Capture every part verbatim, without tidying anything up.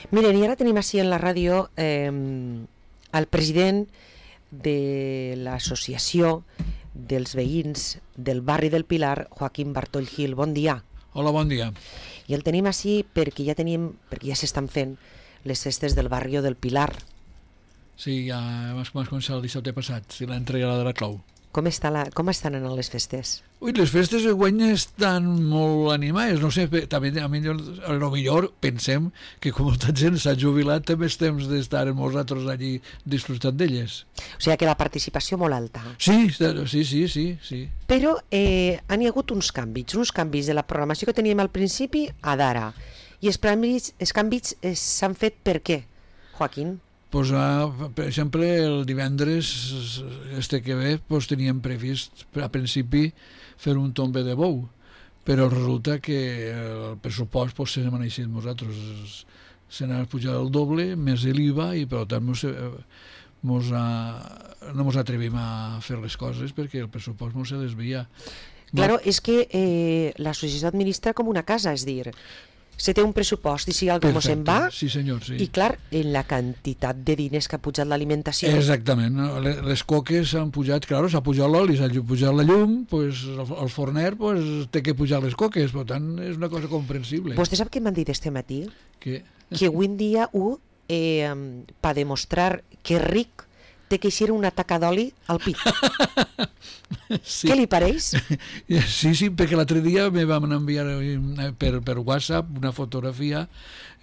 Miren, i ara tenim així en la ràdio eh, el president de l'associació dels veïns del barri del Pilar, Joaquín Bartoll Gil. Bon dia. Hola, bon dia. I el tenim així perquè ja tenim, perquè ja s'estan fent les festes del barri del Pilar. Sí, ja vas començar el dissabte passat, si l'entrega de la clau. Com, està la, com estan anant les festes? Ui, les festes de guany estan molt animades, no sé, també a millor, a lo millor pensem que com molta gent s'ha jubilat també és temps d'estar nosaltres allí disfrutant d'elles. O sigui que la participació molt alta. Sí, sí, sí, sí, sí. Però eh, han hi hagut uns canvis, uns canvis de la programació que teníem al principi a d'ara. I els canvis, els canvis eh, s'han fet per què, Joaquín? Pues, ah, per exemple, el divendres este que ve pues, teníem previst a principi fer un tombe de bou, però resulta que el pressupost pues, se n'ha maneixit nosaltres, se n'ha pujat el doble més l'I V A i per tant mos, mos ha, no ens atrevim a fer les coses perquè el pressupost mos se desvia. Claro, és que eh, la societat administra com una casa, és dir, se té un pressupost i si algú se'n va, sí, senyor, sí. I clar, en la quantitat de diners que ha pujat l'alimentació. Exactament, les coques s'han pujat, clar, s'ha pujat l'oli, s'ha pujat la llum, pues, el forner pues, té que pujar les coques, per tant és una cosa comprensible. Vostè sap què m'han dit este matí? Que, que avui en dia un, eh, per demostrar que és ric, té que eixir una taca d'oli al pit. Sí. Què li pareix? Sí, sí, perquè l'altre dia me vam enviar per, per WhatsApp una fotografia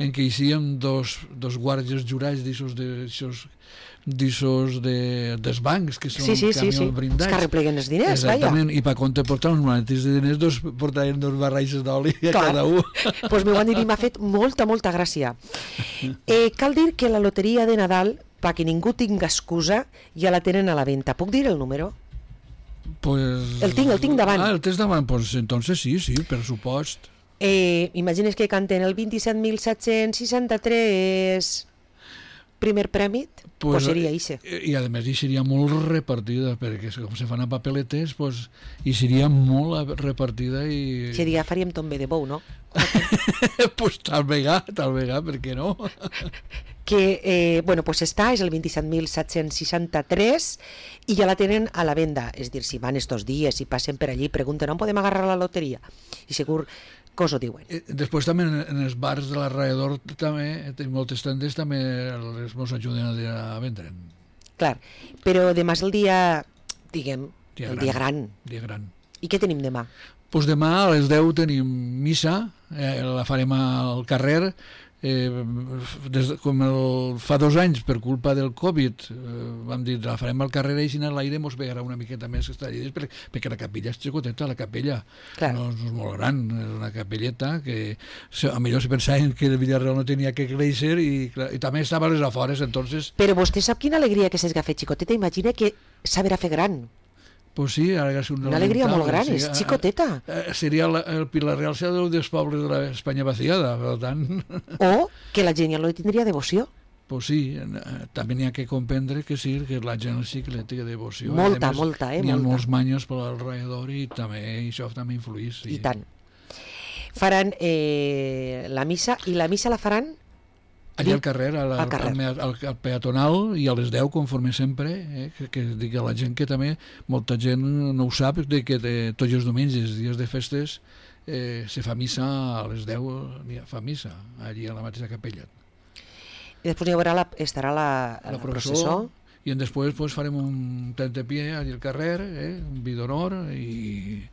en què eixien dos, dos guàrdies jurats d'aixos d'aixos de, dels bancs que són sí, sí, camions sí, sí. brindats. Es que arrepleguen els diners, exactament, vaja. I per compte portar uns maletins de diners dos, portaven dos barraixes d'oli a clar. cada un. Doncs pues m'ho han dit i m'ha fet molta, molta gràcia. Eh, cal dir que la loteria de Nadal, perquè ningú tinga excusa, ja la tenen a la venda. Puc dir el número? Pues... El tinc, el tinc davant. Ah, el tens davant, pues entonces sí, sí, per supost. Eh, imagines que canten el vint-i-set mil set-cents seixanta-tres primer premi, pues, pues seria ixe. I a més hi seria molt repartida, perquè com se fan a papeletes, pues, hi seria molt repartida i... Seria, faríem tombe de bou, no? Pues tal vegada, tal vegada, per què no? Que, eh, bueno, pues està, és el vint-i-set mil set-cents seixanta-tres i ja la tenen a la venda, és dir, si van estos dies, si passen per allí, pregunten on podem agarrar la loteria, i segur que us ho diuen. Després també en els bars de l'alrededor també, en moltes tendes també els mos ajuden a vendre. Clar, però demà és el dia, diguem, dia el gran, dia gran. Dia gran. I què tenim demà? Pues demà a les deu tenim missa, eh, la farem al carrer, eh, des, com el, fa dos anys per culpa del Covid eh, vam dir la farem al carrer i si a l'aire mos vegarà una miqueta més que està allà, perquè, perquè la capella és xicoteta, la capella no, no és molt gran, és una capelleta que a millor se pensaven que el Villarreal no tenia que créixer i, i també estava a les afores, entonces... Però vostè sap quina alegria que s'esga fet xicoteta, imagina que sabrà fer gran. Pues sí, ara és una, una alegria molt gran, sí, és xicoteta. Eh, seria la, el Pilar Real seria un dels pobles de l'Espanya vaciada, per tant... O que la gent ja no li tindria devoció. Pues sí, també n'hi ha que comprendre que sí, que la gent sí que li té devoció. Molta, més, molta, eh? N'hi ha molta. molts manyos per alrededor i també això també influís. Sí. I tant. Faran eh, la missa, i la missa la faran... Allà al carrer, al, al, carrer. Al, al, al peatonal i a les deu, conforme sempre, eh, que, que digui a la gent que també, molta gent no ho sap, de que de, tots els diumenges, dies de festes, eh, se fa missa a les deu, fa missa, allí a la mateixa capella. I després hi haurà la, estarà la, la, la processó, i després pues, farem un tentepié allà al carrer, eh, un vi d'honor, i,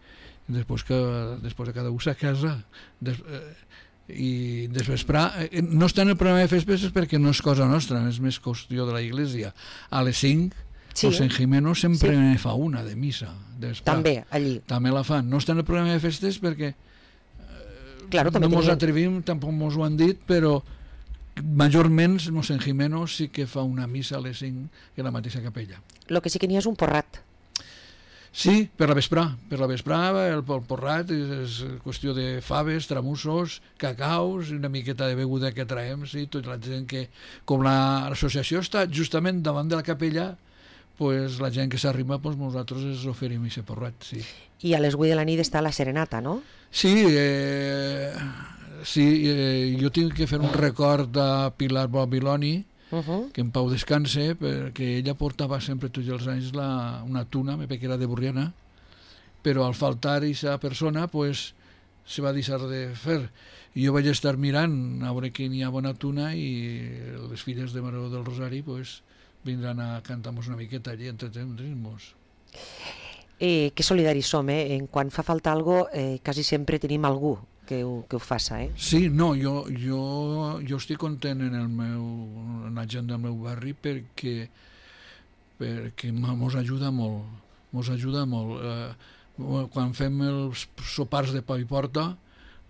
i després, que, després de cada un a casa... Des, eh, i desvesprar, no està en el programa de festes perquè no és cosa nostra, és més qüestió de la Iglesia. A les cinc sí, el Sant Jimeno sempre sí. ne fa una de missa també, allí també la fan, no està en el programa de festes perquè claro, no mos tenien... atrevim, tampoc mos ho han dit, però majorment el Sant Jimeno sí que fa una missa a les cinc en la mateixa capella. Lo que sí que n'hi és un porrat. Sí, per la vesprà, per la vesprà el, el porrat és qüestió de faves, tramussos, cacaus, una miqueta de beguda que traiem, sí, tota la gent que, com l'associació està justament davant de la capella, pues la gent que s'arriba, pues nosaltres ens oferim aquest porrat, sí. I a les vuit de la nit està la serenata, no? Sí, eh, Sí, eh, jo tinc que fer un record a Pilar Babiloni, uh -huh. que en pau descanse, perquè ella portava sempre tots els anys la, una tuna, perquè era de Borriana, però al faltar aquesta persona, pues, se va deixar de fer. I jo vaig estar mirant a veure que n'hi ha bona tuna i les filles de Maró del Rosari pues, vindran a cantar-nos una miqueta allí, entretenir-nos. Eh, que solidaris som, eh? En quan fa falta algo, eh, quasi sempre tenim algú que ho, que ho faça, eh? Sí, no, jo, jo, jo estic content en, el meu, en la gent del meu barri perquè, perquè mos ajuda molt, mos ajuda molt. Eh, quan fem els sopars de pa i porta,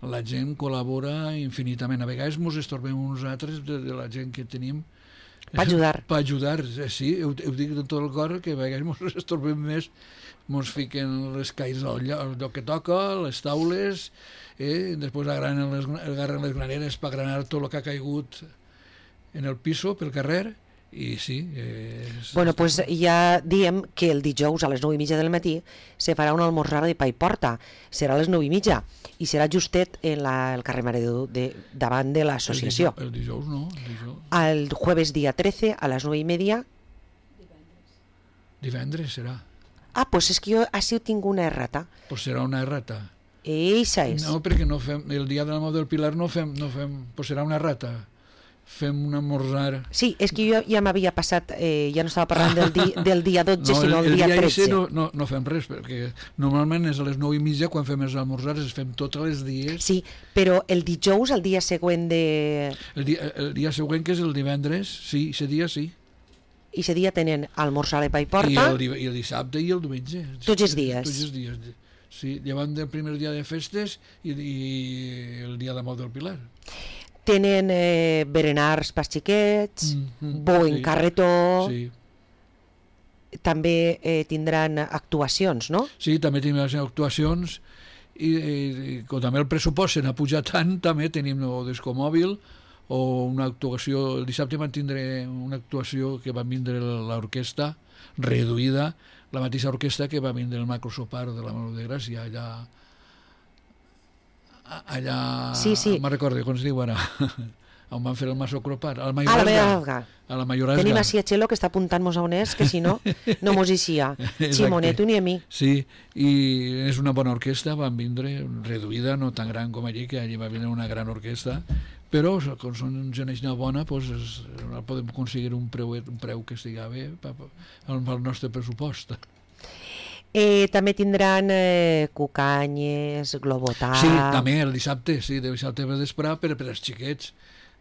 la gent col·labora infinitament. A vegades mos estorbem uns altres de, de la gent que tenim. Per ajudar. Per ajudar, sí, ho, ho dic de tot el cor, que a vegades mos estorbem més, mos fiquen les caïs al lloc que toca, les taules, eh? Després agarren les, agarren les graneres per granar tot el que ha caigut en el piso, pel carrer, i sí. Eh, bueno, doncs pues ja diem que el dijous a les nou i mitja del matí se farà una almorzada de pa i porta. Serà a les nou i mitja i serà justet en la, el carrer Mare de Déu de, davant de l'associació. El, el dijous no. El, dijous. El jueves dia trece a les nou i mitja. Divendres serà. Ah, doncs pues és que jo així tinc una errata. Doncs pues serà una errata. Eixa és. No, perquè no fem, el dia de la Mort del Pilar no fem, no fem, doncs pues serà una errata. Fem un esmorzar. Sí, és que jo ja m'havia passat, eh, ja no estava parlant del, di, del dia dotze, no, sinó el, el dia, dia tretze. No, no, no fem res, perquè normalment és a les nou i mitja quan fem els esmorzars, els fem tots els dies. Sí, però el dijous, el dia següent de... El dia, el dia següent, que és el divendres, sí, ese dia sí. I ese dia tenen almorzar de pa i porta. I el, I el dissabte i el diumenge. Tots els dies. Tots els dies, sí, llevant del primer dia de festes i, i el dia de Mort del Pilar. Tenen eh, berenars per xiquets, mm -hmm, bo en sí, carretó, sí. També eh, tindran actuacions, no? Sí, també tindran actuacions i, i, i com també el pressupost se n'ha pujat tant, també tenim el discomòbil o una actuació, el dissabte van tindre una actuació que va vindre l'orquestra reduïda, la mateixa orquestra que va vindre el macrosopar de la Mare de Gràcia allà allà, sí, sí. me'n recordo com es diu ara on van fer el masocropar, a la Mayorazga. A la Mayorazga. Tenim així a Txelo que està apuntant-nos a on és, que si no, no mos eixia. Ximonet, ni a mi. Sí, i és una bona orquestra, van vindre reduïda, no tan gran com allí, que allí va vindre una gran orquestra, però com són gent bona, doncs es, podem aconseguir un preu, un preu que estigui bé pel nostre pressupost. Eh, també tindran eh, cucanyes, globotà... Sí, també el dissabte, sí, de dissabte per desprar per, per als xiquets.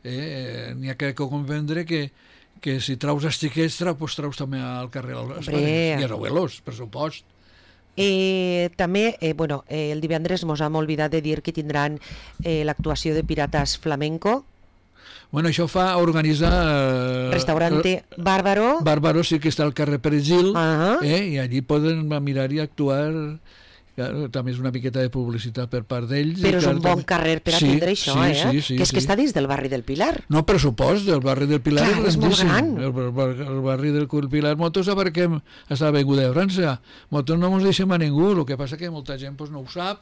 Eh, N'hi ha que comprendre que, que si traus els xiquets, traus, pues, traus també al carrer els pares i els abuelos, per supost. Eh, també, eh, bueno, eh, el divendres mos hem oblidat de dir que tindran eh, l'actuació de Pirates Flamenco. Bueno, això fa organitzar... Eh, Restaurante eh, Bàrbaro. Bàrbaro sí que està al carrer Perejil, uh -huh. eh, i allí poden mirar i actuar. Claro, també és una miqueta de publicitat per part d'ells. Però és clar, un bon també... carrer per sí, atendre això, sí, eh? Sí, sí, que és sí. que està dins del barri del Pilar. No, per supost, el barri del Pilar clar, és, és molt gran. El, el, el barri del Pilar, molts aparquem a la Avinguda de França. Molts no ens deixem a ningú, el que passa que molta gent pues, no ho sap,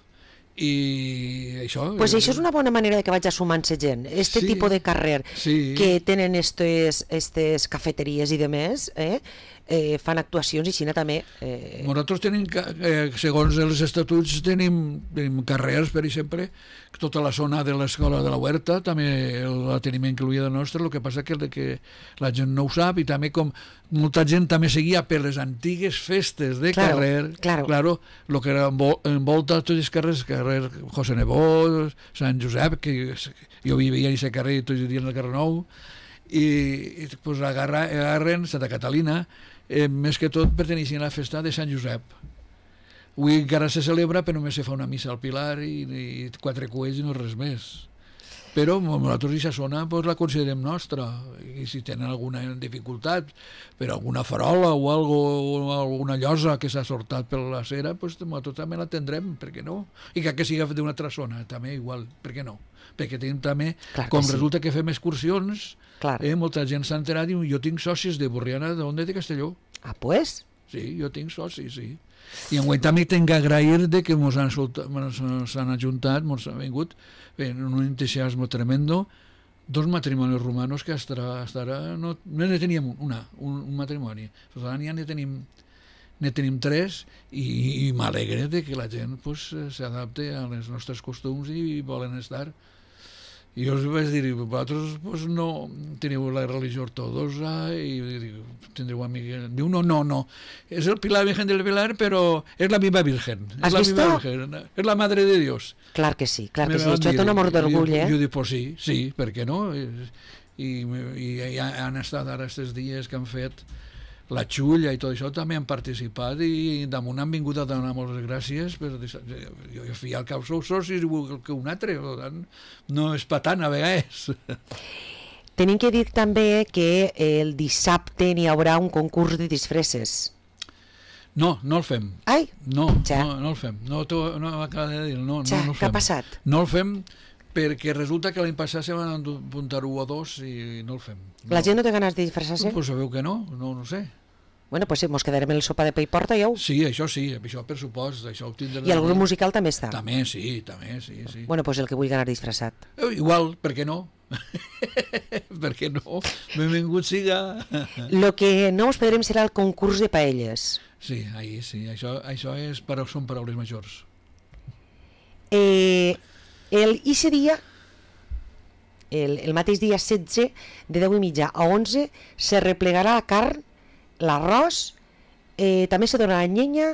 i això... Pues això és una bona manera de que vaig sumant-se gent. Este sí, tipus de carrer sí. que tenen estes, estes cafeteries i demés, eh? Eh, fan actuacions i Xina també... Eh... Nosaltres tenim, eh, segons els estatuts, tenim, tenim carrers, per exemple, tota la zona de l'escola de la Huerta, també la tenim incluïda nostra, el que passa que, que la gent no ho sap, i també com molta gent també seguia per les antigues festes de claro, carrer, claro, claro, el que era envolta tots els carrers, carrer José Nebó, Sant Josep, que jo vivia en aquest carrer tots els dies en el carrer Nou, i, i pues, agarra, agarren Santa Catalina, eh, més que tot perteneixen a la festa de Sant Josep. Avui encara se celebra, però només se fa una missa al Pilar i, i quatre cuells i no res més. Però nosaltres aquesta zona pues, la considerem nostra, i si tenen alguna dificultat per alguna farola o, algo, o alguna llosa que s'ha sortat per la cera, pues, nosaltres també la tindrem, per què no? I que, que sigui d'una altra zona, també igual, per què no? Perquè tenim també, clar com sí. Resulta que fem excursions, eh, molta gent s'ha enterat i jo tinc socis de Borriana, d'on de Castelló. Ah, pues? sí, jo tinc socis, sí. I enguany també tinc que agrair de que ens han, han ajuntat, ens han vingut en un entusiasme tremendo, dos matrimonis romanos que hasta, hasta ara no, no ne teníem una, un, un matrimoni. Ara ja ne tenim, ne tenim tres i, i m'alegre de que la gent pues, s'adapte a les nostres costums i volen estar. I jo els vaig dir, vosaltres pues, no teniu la religió ortodoxa i dic, tindreu amiga. Diu, no, no, no, és el Pilar Virgen del Pilar, però és la viva Virgen. Has és la vist? viva Virgen, és la Madre de Dios. Clar que sí, clar Me que sí, van això dir, té un amor d'orgull, eh? Jo dic, pues sí, sí, per què no? I, i, i han estat ara aquests dies que han fet la xulla i tot això, també han participat i damunt han vingut a donar moltes gràcies, però jo, jo fi al cap sou socis igual que un altre, per tant, no és patant a vegades. Tenim que dir també que el dissabte n'hi haurà un concurs de disfresses. No, no el fem. Ai, No, ja. no, no el fem. No, t'ho- no m'acaba de dir, no, ja, no, no el què ha fem. passat? No el fem perquè resulta que l'any passat se van apuntar u o dos i no el fem. No. La gent no té ganes de disfressar-se? Pues sabeu que no, no, no sé. Bueno, pues sí, mos quedarem en el sopa de pa i porta, ja ho... Sí, això sí, això per supost, això ho tindrem. I el grup musical també està. També, sí, també, sí, sí. Bueno, pues el que vulgui anar disfressat. Eh, Igual, per què no? Per què no? Benvingut siga. Lo que no us perdrem serà el concurs de paelles. Sí, ahí sí, això, això és, però són paraules majors. Eh, el, I ese dia, el, el mateix dia setze, de deu i mitja a onze, se replegarà la carn, l'arròs, eh, també se donarà llenya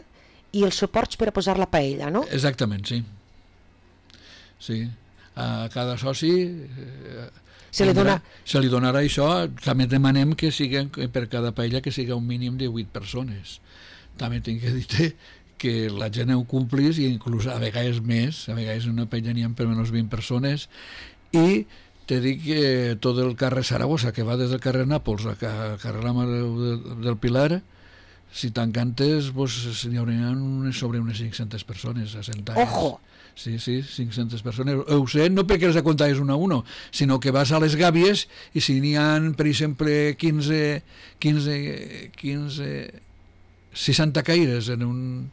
i els suports per a posar la paella, no? Exactament, sí. Sí, a cada soci eh, Se li tindrà- dona- se li donarà això. També demanem que siguen, que per cada paella que siga un mínim de vuit persones. També tinc que dir que la gent ho complís i inclús a vegades més, a vegades en una paella n'hi ha per menys vint persones, i te dic que tot el carrer Saragossa, que va des del carrer Nàpols al carrer la Mare del Pilar, si t'encantes, pues, n'hi haurà unes, sobre unes cinc-centes persones assentades. Ojo! Sí, sí, cinc-centes persones. Ho sé, no perquè les comptais una a uno, sinó que vas a les gàbies i si n'hi ha, per exemple, quinze, quinze, quinze, seixanta caires en, un,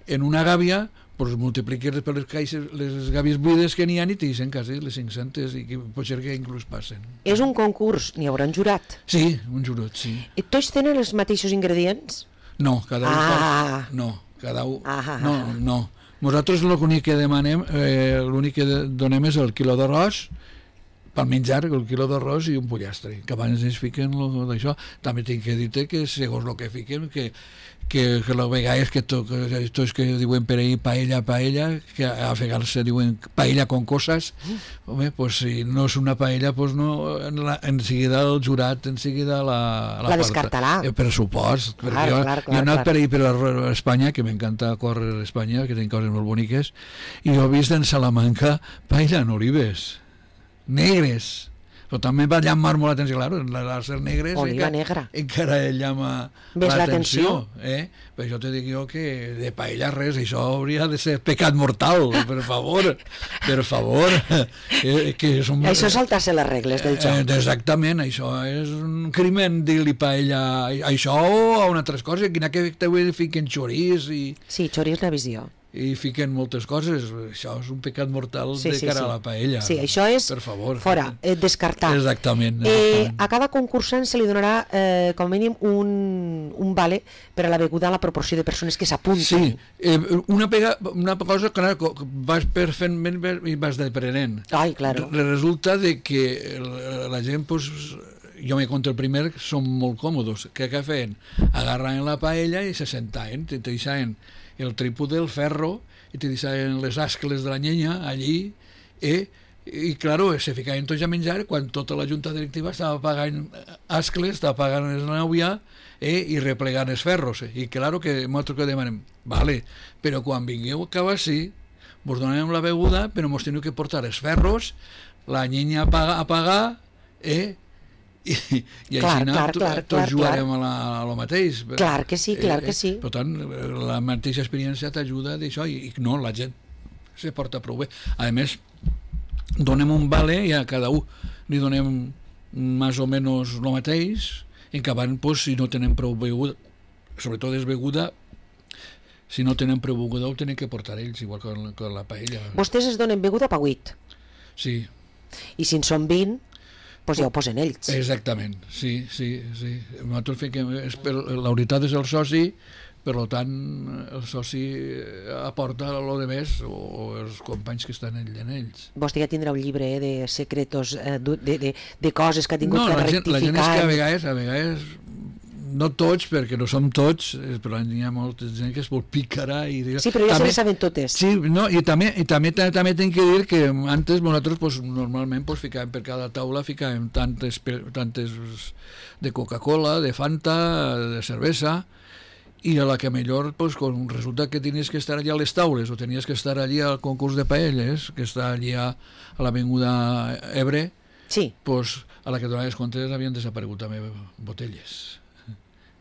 en una gàbia, pues multipliques per les, caixes, les gàbies buides que n'hi ha i t'hi quasi les cinc-centes i que pot ser que inclús passen. És un concurs, n'hi haurà un jurat. Sí, un jurot, sí. I tots tenen els mateixos ingredients? No, cada un Ah. fa... No, cada un... Ah. No, no. Nosaltres l'únic que demanem, eh, l'únic que donem és el quilo d'arròs, pel menjar, el quilo d'arròs i un pollastre, que abans es fiquen lo d'això. També tinc que dir-te que segons el que fiquen, que, que, que la vegades que to, que, tots que diuen per ahir paella, paella, que a vegades se diuen paella con cosas, home, pues si no és una paella, pues no, en, la, en seguida el jurat, en seguida la... La descartarà. Eh, per supost, Clar, perquè jo, clar, jo he clar, anat clar. per ahir per a Espanya, que m'encanta córrer a Espanya, que tenen coses molt boniques, i jo he vist en Salamanca paella en olives negres, però també va llamar molt l'atenció, claro, les ser negres Oliva encara, negra. encara llama Ves l'atenció, l'atenció. eh? Però jo te dic jo que de paella res, això hauria de ser pecat mortal, per favor, per favor, eh, que és un... Això és saltar-se les regles del joc. Eh, exactament, això és un crimen dir-li paella a això o a una altra cosa, quina que també fiquen xorís i, Sí, xori és la visió. i fiquen moltes coses, això és un pecat mortal Sí, de sí, cara sí. a la paella. Sí, això és per favor. fora, eh, descartar. Exactament. Eh, exactament. a cada concursant se li donarà eh, com a mínim un, un vale per a la beguda a la proporció de persones que s'apunten. Sí, eh, una, pega, una cosa que vas per fent i vas deprenent. Ai, claro. Re- Resulta de que la gent, pues, jo me conto el primer, són molt còmodes. Què que feien? Agarraven la paella i se sentaven, te deixaven el trípode del ferro i te deixaven les ascles de la llenya allí, eh? I claro, se ficaven tots a menjar quan tota la junta directiva estava pagant ascles, estava pagant el nauia, eh? I replegant els ferros. Eh? I claro que nosaltres que demanem, vale, però quan vingueu cap així, vos donem la beguda, però mos teniu que portar els ferros, la llenya a pagar, a pagar eh? i, i Clar, així clar, to- clar, tots clar, jugarem a, la, a lo mateix. Clar que sí, clar que sí. Per tant, la mateixa experiència t'ajuda d'això i, i no, la gent se porta prou bé. A més, donem un vale i a cada un li donem més o menys el mateix, en que van, pues, si no tenen prou beguda, sobretot és beguda, si no tenen prou beguda ho tenen que portar ells, igual que la, que la paella. Vostès es donen beguda per huit. Sí. I si en són vint, doncs ja ho posen ells. Exactament, sí, sí, sí. Nosaltres fiquem, és per, la unitat és el soci, per tant el soci aporta el de més o els companys que estan en ells. Vostè ja tindrà un llibre eh, de secretos, eh, de, de, de coses que ha tingut no, que la rectificar. No, la gent és que a vegades, a vegades no tots, perquè no som tots, però hi ha molta gent que es vol picarà. I, sí, però ja també, se les saben totes. Sí, no, i també, i també, també tinc que dir que antes nosaltres pues, normalment pues, ficàvem per cada taula ficàvem tantes, tantes de Coca-Cola, de Fanta, de cervesa, i a la que millor pues, con, resulta que tenies que estar allà a les taules o tenies que estar allí al concurs de paelles, que està allí a, a l'avinguda Ebre, sí. Pues, a la que donaves comptes havien desaparegut també botelles.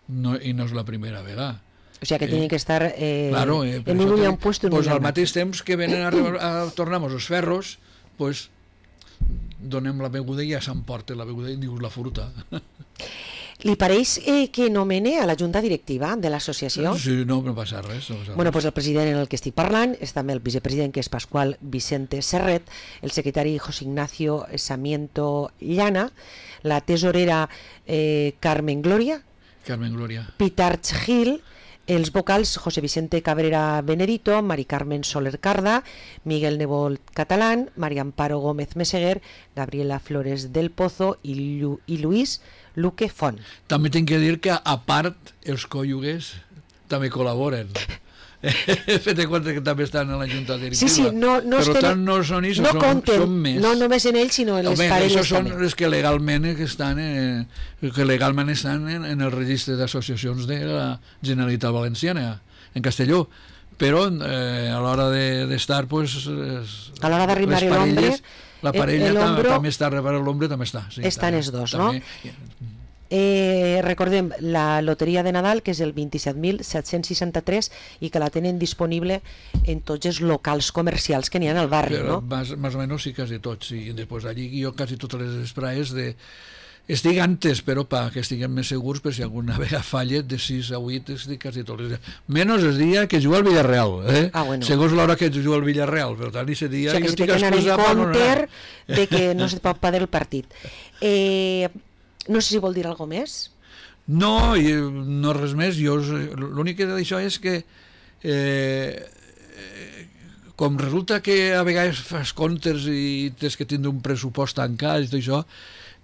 No, i no és la primera vegada. O sigui que eh, tenen que estar eh, claro, eh, en un ull puesto en pues un al mateix temps que venen a, a tornar-nos els ferros, pues donem la beguda i ja s'emporta la beguda i dius la fruta. Li pareix eh, que nomene a la junta directiva de l'associació? Sí, no, no passa res. No passa bueno, res. Pues el president en el que estic parlant és també el vicepresident, que és Pasqual Vicente Serret, el secretari José Ignacio Samiento Llana, la tesorera eh, Carmen Gloria, Carmen Gloria. Pitarch Gil, els vocals José Vicente Cabrera Benedito, Mari Carmen Soler Carda, Miguel Nebot Catalán, María Amparo Gómez Meseguer, Gabriela Flores del Pozo i, Llu i Luis Luque Font. També tinc que dir que a part els cònyuges també col·laboren. Fet de compte que també estan a la junta directiva. Sí, sí, no, no per estén, tant no són ells, no són, compten, són més. No només en ells, sinó en les Home, parelles són també. les que legalment que estan, eh, que legalment estan en, en el registre d'associacions de la Generalitat Valenciana, en Castelló. Però eh, a l'hora d'estar, de, pues, a l'hora d'arribar a l'ombre, la parella el, el també està, a l'ombre també està. Sí, estan també, els dos, també, no? Eh, recordem la loteria de Nadal, que és el vint-i-set mil set-cents seixanta-tres i que la tenen disponible en tots els locals comercials que n'hi ha al barri. Però, no? Más, más o menos sí, quasi tots, sí. Després allí jo quasi totes les espraes de... estic antes, però perquè estiguem més segurs, per si alguna vegada falla, de sis a vuit estic quasi tots els dies. Menys el dia que juga al Villarreal, eh? Ah, bueno. Segons l'hora que juga al Villarreal, per tant, aquest dia... O sigui, que si té que anar en compte de que no se pot perdre el partit. Eh... No sé si vol dir alguna més. No, no res més. Jo l'únic que d'això és que eh, com resulta que a vegades fas comptes i tens que tindre un pressupost tancat i tot això,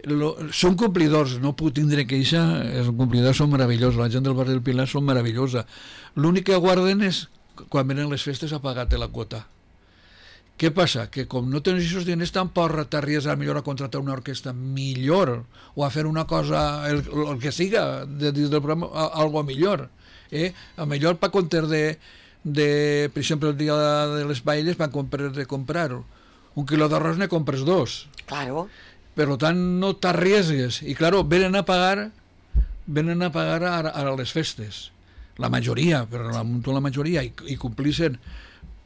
lo, són complidors, no puc tindre queixa, els complidors són meravellosos, la gent del barri del Pilar són meravellosa. L'únic que guarden és quan venen les festes a pagar-te la quota. Què passa? Que com no tens aquests diners tampoc t'arries a millor a contractar una orquestra millor o a fer una cosa, el, el que siga, de, dins del programa, a, algo millor. Eh? A millor per compter de, de, per exemple, el dia de les paelles van comprar, de comprar un quilo d'arròs ne compres dos. Claro. Per tant, no t'arriesgues. I, claro, venen a pagar, venen a pagar a, a les festes. La majoria, però la, la majoria, i, i complissin.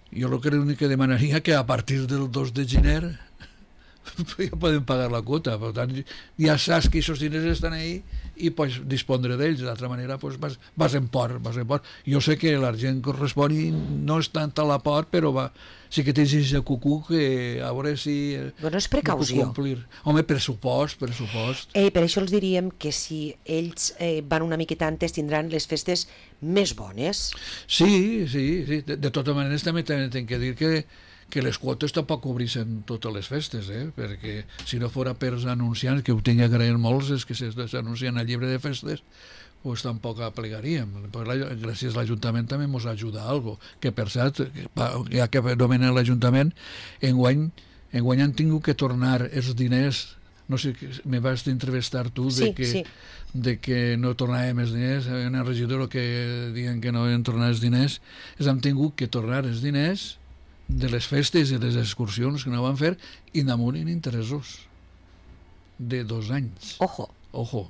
Jo el que l'únic que demanaria que a partir del dos de gener ja poden pagar la quota, per tant ja saps que aquests diners estan ahí i pots dispondre d'ells, d'altra manera pues, vas, vas en port, vas en port. Jo sé que l'argent correspon i no és tant a la port, però va, sí que tens aquest cucú que a veure si... Bueno, és precaució. Home, pressupost, pressupost. Eh, per això els diríem que si ells eh, van una miqueta antes tindran les festes més bones. Sí, sí, sí. De, de totes maneres també tinc que dir que que les quotes tampoc cobreixen totes les festes, eh? Perquè si no fora per els anunciants, que ho tinc que agrair molts, és que s'anuncien al llibre de festes, pues tampoc aplegaríem. Pues la, gràcies a l'Ajuntament també ens ajuda a algo, que per cert, ja que nomenen l'Ajuntament, enguany, enguany han tingut que tornar els diners, no sé, me vas entrevistar tu, de sí, que, sí. de que no tornàvem els diners, hi ha una regidora que diuen que no han tornat els diners, els han tingut que tornar els diners de les festes i les excursions que no van fer i damunt en interessos de dos anys. Ojo. Ojo.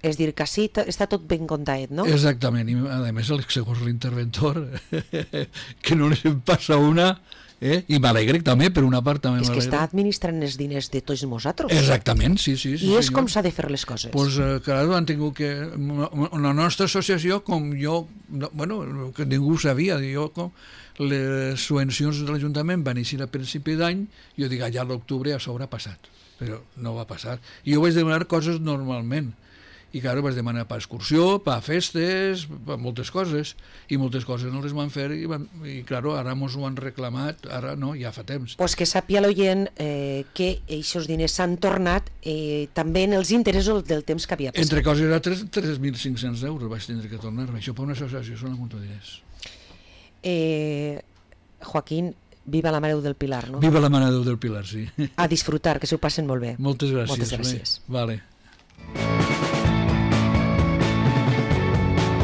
És dir, que sí, està tot ben comptat, no? Exactament, i a més, segons l'interventor, que no les en passa una Eh? I m'alegre també, per una part també És que m'alegre. està administrant els diners de tots nosaltres. Exactament, sí, sí. sí I és senyor. com s'ha de fer les coses. Pues, eh, claro, han tingut que... La nostra associació, com jo... No, bueno, que ningú ho sabia, jo com... Les subvencions de l'Ajuntament van eixir a principi d'any, jo dic, allà a l'octubre a sobre ha passat, però no va passar. I jo vaig demanar coses normalment, i claro, vaig demanar per excursió, per festes, per moltes coses, i moltes coses no les van fer, i, van, i claro, ara mos ho han reclamat, ara no, ja fa temps. Pues que sàpia l'oient eh, que aquests diners s'han tornat eh, també en els interessos del temps que havia passat. Entre coses era tres mil cinc-cents euros vaig tindre que tornar, això per una associació són un munt de diners. Eh, Joaquín, viva la Mare del Pilar, no? Viva la Mare de Déu del Pilar, sí. A disfrutar, que s'ho passen molt bé. Moltes gràcies. Moltes gràcies. Bé, vale.